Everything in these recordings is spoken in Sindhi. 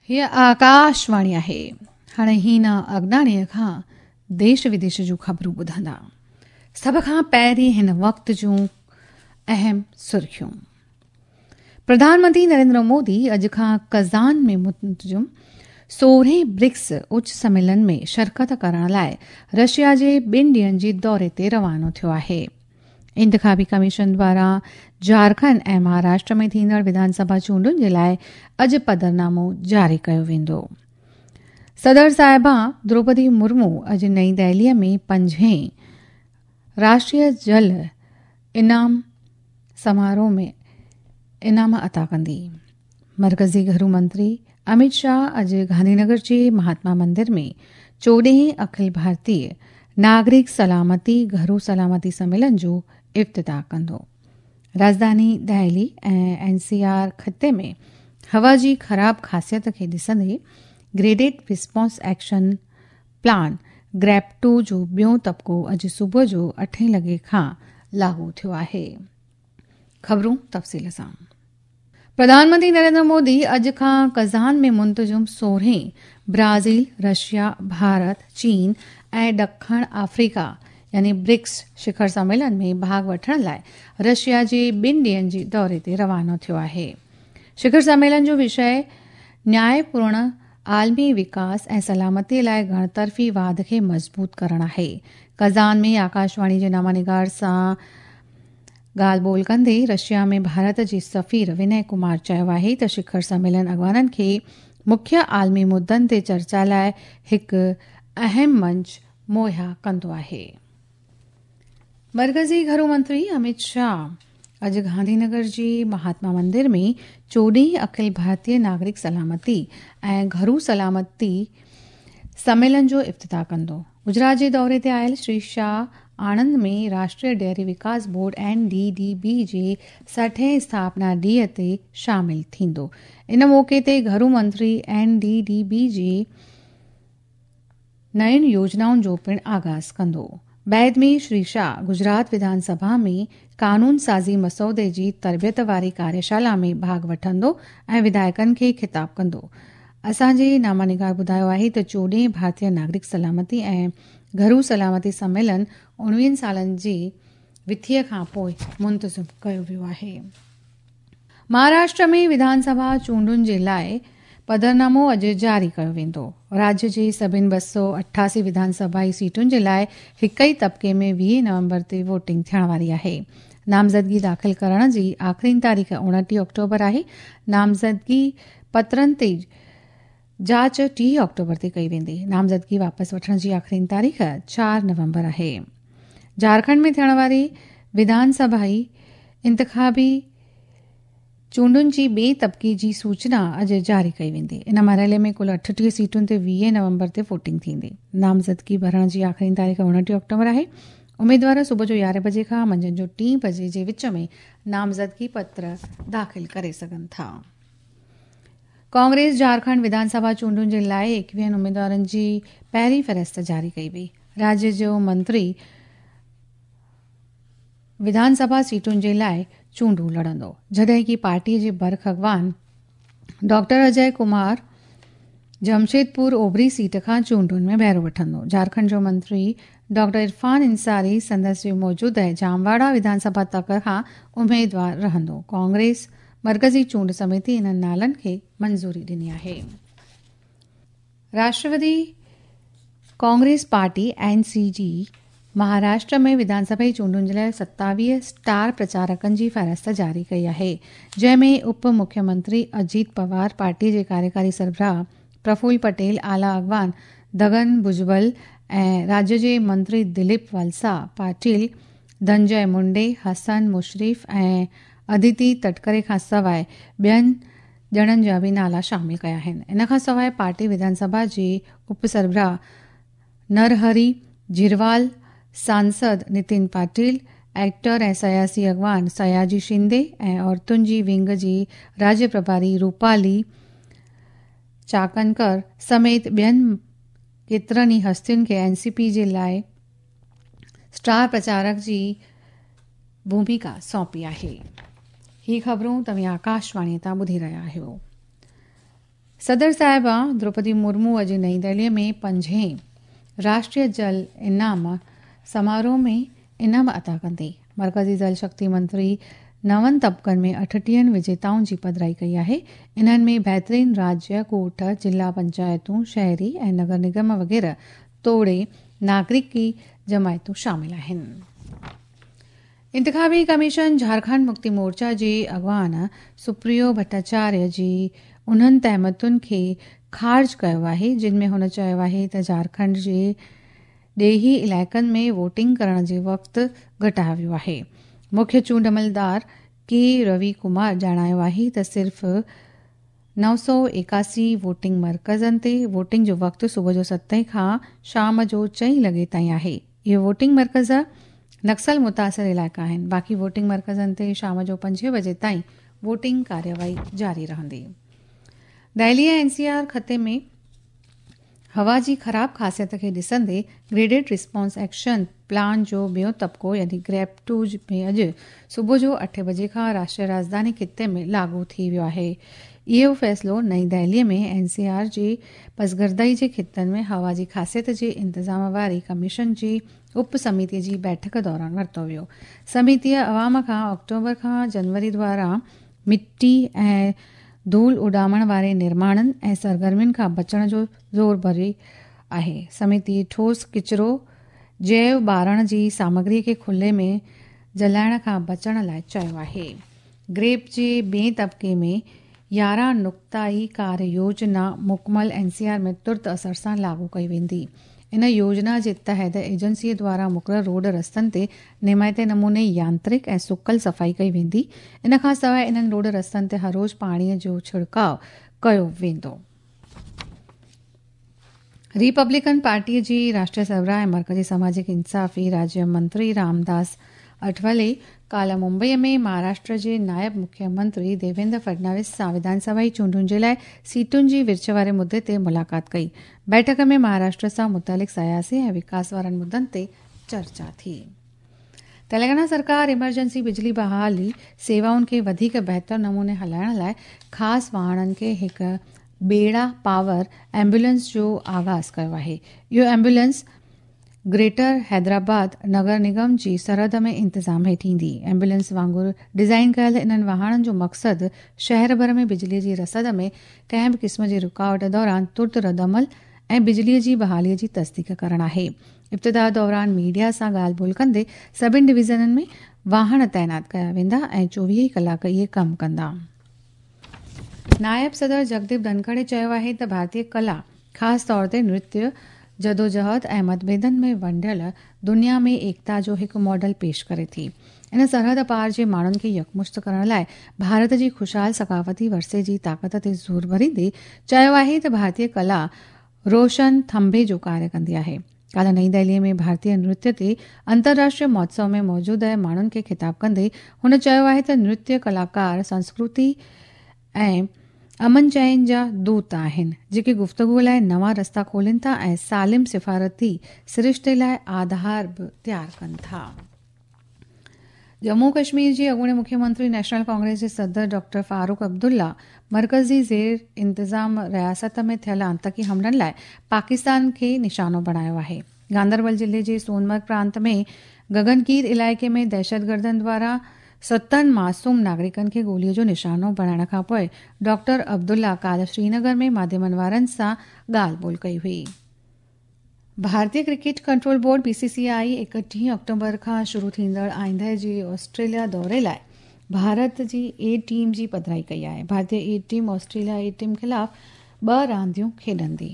هيء آڪاشواڻي آهي. هاڻي هينا اگناڻيء کان ديش وديش جون خبرون ٻڌندا. سڀ کان پهرين هن وقت جون اهم سرخيون. پرڌان منتري نريندر مودي اڄ کان ڪزان ۾ منتظم سورهين برڪس اچ سميلن ۾ شرڪت ڪرڻ لاء رشيا جي ٻن ڏينهن جي دوري تي روانو ٿيو آهي. انتخابي ڪميشن دواران جهارکنڊ ۽ مهاراشٽر ۾ ٿيندڙ وڌان سڀا چونڊن جي لاء اڄ پڌرنامو جاري ڪيو ويندو. صدر صاحبه دروپدي مرمو اڄ نئين دهليء ۾ پنجين راشٽريه جل انعام سماروهه ۾ انعام عطا ڪندي. مرڪزي گهرو منتري امت شاهه اڄ گانڌينگر جي مهاتما مندر ۾ چوڏهين اکل ڀارتيه ناگرڪ سلامتي گهرو سلامتي سميلن جو افتتاح ڪندو. راڄڌاني دهلي ۽ اين سي آر خطي ۾ هوا جي خراب خاصيت کي ڏسندي graded response action plan GRAP two جو ٻيون طبقو اڄ صبح جو اٺين لڳي کان لاڳو ٿيو آهي. خبرون تفصيل سان. پرڌان منتري نريندر مودي اڄ کان ڪزان ۾ منتظم سورهين برازيل، رشيا، ڀارت، چين ۽ ڏکڻ آفريڪا يعني برڪس شکر سميلن ۾ ڀاڳ وٺڻ لاء رشيا جي ٻن ڏينهن جي دوري تي روانو ٿيو آهي. شکر سميلن جو وشيه نياء پورڻ عالمي وڪاس ۽ سلامتي لاء گهڻطرفي واڌ کي مضبوط ڪرڻ آهي. ڪزان ۾ آڪاشواڻي جي نامه سان ڳالهه ٻولهه ڪندي رشيا ۾ ڀارت جي سفير ونئي ڪمار چيو آهي ته شکر سميلن اڳواڻن کي مکيه عالمي مدن تي چرچا لاء هڪ اهم منچ مهيا ڪندو آهي. مرڪزي گهرو منتري امت شاهه اڄ گانڌينگر جي مهاتما مندر ۾ چوڏهين اکل ڀارتيه ناگرڪ سلامتي ۽ گهرو سلامتي سميلن جو افتتاح ڪندو. گجرات جي دوري تي آيل Shri Shah Anand ۾ Rashtriya dairy Vikas board, N D D B, جي سٺهين اسٿاپنا ڏينهن تي شامل ٿيندو. ان موقعي تي گهرو منتري اين ڊي ڊي بي جي نين يوجنائن جو پڻ آغاز ڪندو. بعد ۾ شري شاهه گجرات وڌان سڀا ۾ قانون سازي مسودي جي تربيت واري ڪاريشالا ۾ ڀاڳ وٺندو ۽ وڌايڪن کي خطاب ڪندو. اسان جي نامه نگار ٻڌايو آهي ته چوڏهين ڀارتيه ناگرڪ سلامتي ۽ گهرو سلامتي سميلن اڻويهن سالن جي وٿيء کان پوء منتظم ڪيو ويو آهي. مهاراشٽر ۾ وڌان سڀا چونڊن جي لاء پڌرنامو اڄ جاري ڪيو ويندو. راجيه جي سڀن 288 وڌان سڀائي سيٽن جي لاء هڪ ئي طبقي ۾ 20 نومبر تي ووٽنگ ٿيڻ واري آهي. نامزدگي داخل ڪرڻ جي آخرين تاريخ 29 آڪٽوبر آهي. نامزدگي پترن تي جاچ 30 آڪٽوبر تي ڪئي ويندي. نامزدگي واپس وٺڻ جي آخرين تاريخ 4 نومبر آهي. جهارکنڊ ۾ ٿيڻ واري وڌان سڀائي انتخابي چونڊن جي ٻئي طبقي جي سوچنا اڄ جاري ڪئي ويندي. ان مرحلي ۾ ڪل 38 سيٽن تي 20 نومبر تي ووٽنگ ٿيندي. نامزدگي ڀرڻ جي آخرين تاريخ 29 آڪٽوبر آهي. اميدوار صبح جو 11 بجي کان منجهند جو 3 بجي جي وچ ۾ نامزدگي پتر داخل ڪري سگهن ٿا. ڪانگريس جهارکنڊ وڌان سڀا چونڊن جي لاء ايڪويهن اميدوارن جي پهرين فهرست جاري ڪئي وئي. راجيه جو منتري وڌان سڀا سيٽن جي لاء چونڊون لڙندو، جڏهن ڪي پارٽي جي برک اڳواڻ ڊاڪٽر اجي ڪمار جمشيدپور اوڀري سيٽ کان چونڊن ۾ بهرو وٺندو. جهارکنڊ جو منتري ڊاڪٽر عرفان انصاري سندس جي موجوده جامواڙا وڌان سڀا تڪ کان اميدوار رهندو. ڪانگريس مرڪزي چونڊ سميتي انهن نالن کي منظوري ڏني آهي. راشٽروادي ڪانگريس پارٽي، اين سي جي، مهاراشٽر ۾ وڌان سڀائي چونڊن جي لاء 27 اسٽار پرچارڪن جي فهرست جاري ڪئي آهي، جنهن ۾ اپ مکيه منتري اجيت پوار، پارٽي جي ڪاريڪاري سربراهه پرفل پٽيل، اعليٰ اڳواڻ دگن ڀجبل ۽ راجيه جي منتري دليپ والسا پاٽيل، ڌنجي منڊي، حسن مشرف ۽ اديتي تٽڪري کان سواء ٻين ڄڻن جا به نالا شامل ڪيا آهن. ان کان سواء پارٽي وڌان سڀا جي اپ سربراهه نرهري جهروال، سانسد نتين پاٽيل، ايڪٽر ۽ سياسي اڳواڻ سياجي شندي ۽ عورتن جي ونگ جي راجيه پرڀاري روپالي چاڪنڪر سميت ٻين ڪيترن ئي هستين کي اين سي پي جي لاء اسٽار پرچارڪ جي ڀوميڪا سونپي آهي. هي خبرون توهين آڪاشواڻي تان ٻڌي رهيا آهيو. صدر صاحبه دروپدي مرمو اڄ نئين دهليء ۾ پنجين راشٽريه جل انعام سماروهه ۾ انعام عطا ڪندي. مرڪزي جل شڪتي منتري نون طبقن ۾ اٺٽيهن وجيتائن جي پڌرائي ڪئي آهي. انهن ۾ بهترين راجيه، ڳوٺ، ضلع پنچائتون، شهري ۽ نگر نگم وغيره توڙي ناگرڪي جماعتون شامل آهن. انتخابي ڪميشن جهارکنڊ مڪتي مورچا جي اڳواڻ سپريو ڀٽاچاريه جي انهن تهمتن کي خارج ڪيو آهي جن ۾ هن چيو آهي ته جهارکنڊ جي ڏيهي علائقن ۾ ووٽنگ ڪرڻ جي وقت گهٽايو ويو آهي. مکيه چونڊ عملدار ڪي روي ڪمار ڄاڻايو آهي ته صرف 981 ووٽنگ مرڪزن تي ووٽنگ جو وقت صبح جو ستين کان شام جو چئين لڳي تائين آهي. اهي ووٽنگ مرڪز نڪسل متاثر علائقا آهن. باقي ووٽنگ مرڪزن تي شام جو پنجين بجي تائين ووٽنگ ڪارروائي جاري رهندي. دهلي ۽ اين سي آر خطي ۾ هوا جي خراب خاصيت کي ڏسندي گريڊيڊ رسپانس ايڪشن پلان جو ٻيون طبقو يعني گريپ ٽو ۾ اڄ صبح جو اٺين بجي کان راشٽريه راڄڌاني خطي ۾ لاڳو ٿي ويو آهي. اهو فيصلو نئين دهلي ۾ اين سي آر جي پسگردائي جي خطن ۾ هوا جي خاصيت جي انتظام واري ڪميشن جي اپ سميتي جي بيٺڪ دوران ورتو ويو. سميتيء عوام کان آڪٽوبر کان جنوري دوران مٽي ۽ ڌول اڏامڻ واري نرماڻن ۽ سرگرمين کان بچڻ جو زور ڀريو آهي. سميتي ٺوس ڪچرو، جيو ٻارڻ جي سامگري کي کلي ۾ جلائڻ کان بچڻ لاء چيو آهي. گريپ جي ٻئين طبقي ۾ 11 نقطائي ڪاريه يوجنا مڪمل اين سي آر ۾ ترت اثر سان لاڳو ڪئي ويندي. ان يوجنا جي تحت ايجنسي دواران مقرر روڊ رستن تي نيمائتي نموني يانترڪ ۽ سڪل صفائي ڪئي ويندي. ان کان سواء انهن روڊ رستن تي هر روز پاڻي جو ڇڙڪاء ڪيو ويندو. ريپبلڪن پارٽيء جي راشٽريه سربراهه ۽ مرڪزي سماجڪ انصافي راجيه منتري رامداس اٺولي ڪالهه ممبئيء ۾ مهاراشٽر جي نائب مکيه منتري ديويندر فڊناويس سان وڌان سڀائي چونڊن جي لاء سيٽن جي ورڇ واري مدي تي ملاقات ڪئي. بيٺڪ ۾ مهاراشٽر سان متعلق سياسي ۽ وڪاس وارن مدن تي چرچا ٿي. تلنگانا سرڪار ايمرجنسي بجلي بحالي سيوائن کي وڌيڪ بهتر نموني هلائڻ لاء خاص واهڻن کي هڪ ٻيڙا پاور ايمبولينس جو آغاز ڪيو آهي. اهو ايمبولينس گريٽر حيدرآباد نگر نگم جي سرحد ۾ انتظام هيٺ ايندي. ايمبولينس وانگر ڊزائين ڪيل انهن واهڻن جو مقصد شهر ڀر ۾ بجلي جي رسد ۾ ڪنهن به قسم جي رڪاوٽ دوران ترت ردعمل ۽ بجلي جي بحالي جي تصديق ڪرڻ آهي. ابتدا دوران ميڊيا سان ڳالهه ٻولهه ڪندي سڀني ڊويزنن ۾ واهڻ تعينات ڪيا ويندا ۽ 24 ئي ڪلاڪ اهي ڪم ڪندا. نائب صدر جگديپ ڌنکڙ چيو آهي ته ڀارتي ڪلا خاص طور تي نرتيه جدوجهد ۽ متڀيدن ۾ ونڊيل دنيا ۾ ايڪتا جو هڪ ماڊل پيش ڪري ٿي. ان سرحد پار جي ماڻهن کي يڪمشت ڪرڻ لاء ڀارت جي خوشحال ثقافتي ورثي جي طاقت تي زور ڀريندي چيو آهي ته ڀارتي ڪلا روشن ٿنڀي جو ڪاريه ڪندي آهي. ڪالهه نئين دهلي ۾ ڀارتي نرتيه تي انترراشٽريه مهوتسو ۾ موجود ماڻهن کي خطاب ڪندي هن چيو آهي ته نرتيه ڪلاڪار سنسڪرتي ۽ امن چين جا دوت آهن، جيڪي گفتگو لاء نوان رستا کولين ٿا ۽ سالم سفارتي سرشتي لاء آڌار به تيار ڪن ٿا. ڄمون ڪشمير جي اڳوڻي مکيه منتري نيشنل ڪانگريس جي صدر ڊاڪٽر فاروق عبدالله مرڪزي زير انتظام رياست ۾ ٿيل آتنڪي حملن لاء پاڪستان کي نشانو بڻايو آهي. گاندربل ضلعي جي سونمرگ پرانت ۾ گگنگير علائقي ۾ دهشتگردن دواران ستن معصوم ناگرڪن کي گولي جو نشانو بڻائڻ کانپوء ڊاڪٽر عبدالله ڪالهه سرينگر ۾ ماڌيمن وارن سان ڳالهه ٻولهه ڪئي هئي. ڀارتي cricket control board, B C C I, 31 October کان شروع ٿيندڙ آئنده جي آسٽريليا دوري لاء ڀارت جي اي ٽيم جي پڌرائي ڪئي آهي. ڀارتي A team Australia A team خلاف ٻه رانديون کيڏندي.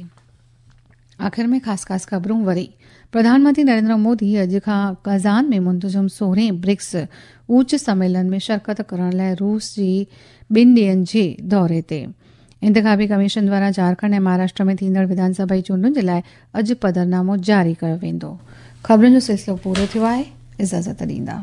آخر ۾ خاص خاص خبرون وري پرڌان منتري نريندر مودي اڄ کان ڪازان ۾ منتظم سورهين برڪس اوچ سميلن ۾ شرڪت ڪرڻ لاء روس جي ٻن ڏينهن جي دوري تي. انتخابي ڪميشن دواران جهارکنڊ ۽ مهاراشٽر ۾ ٿيندڙ وڌان سڀائي چونڊن جي لاء اڄ پڌرنامو جاري ڪيو ويندو. خبرن جو سلسلو پورو ٿيو آهي. اجازت ڏيندا.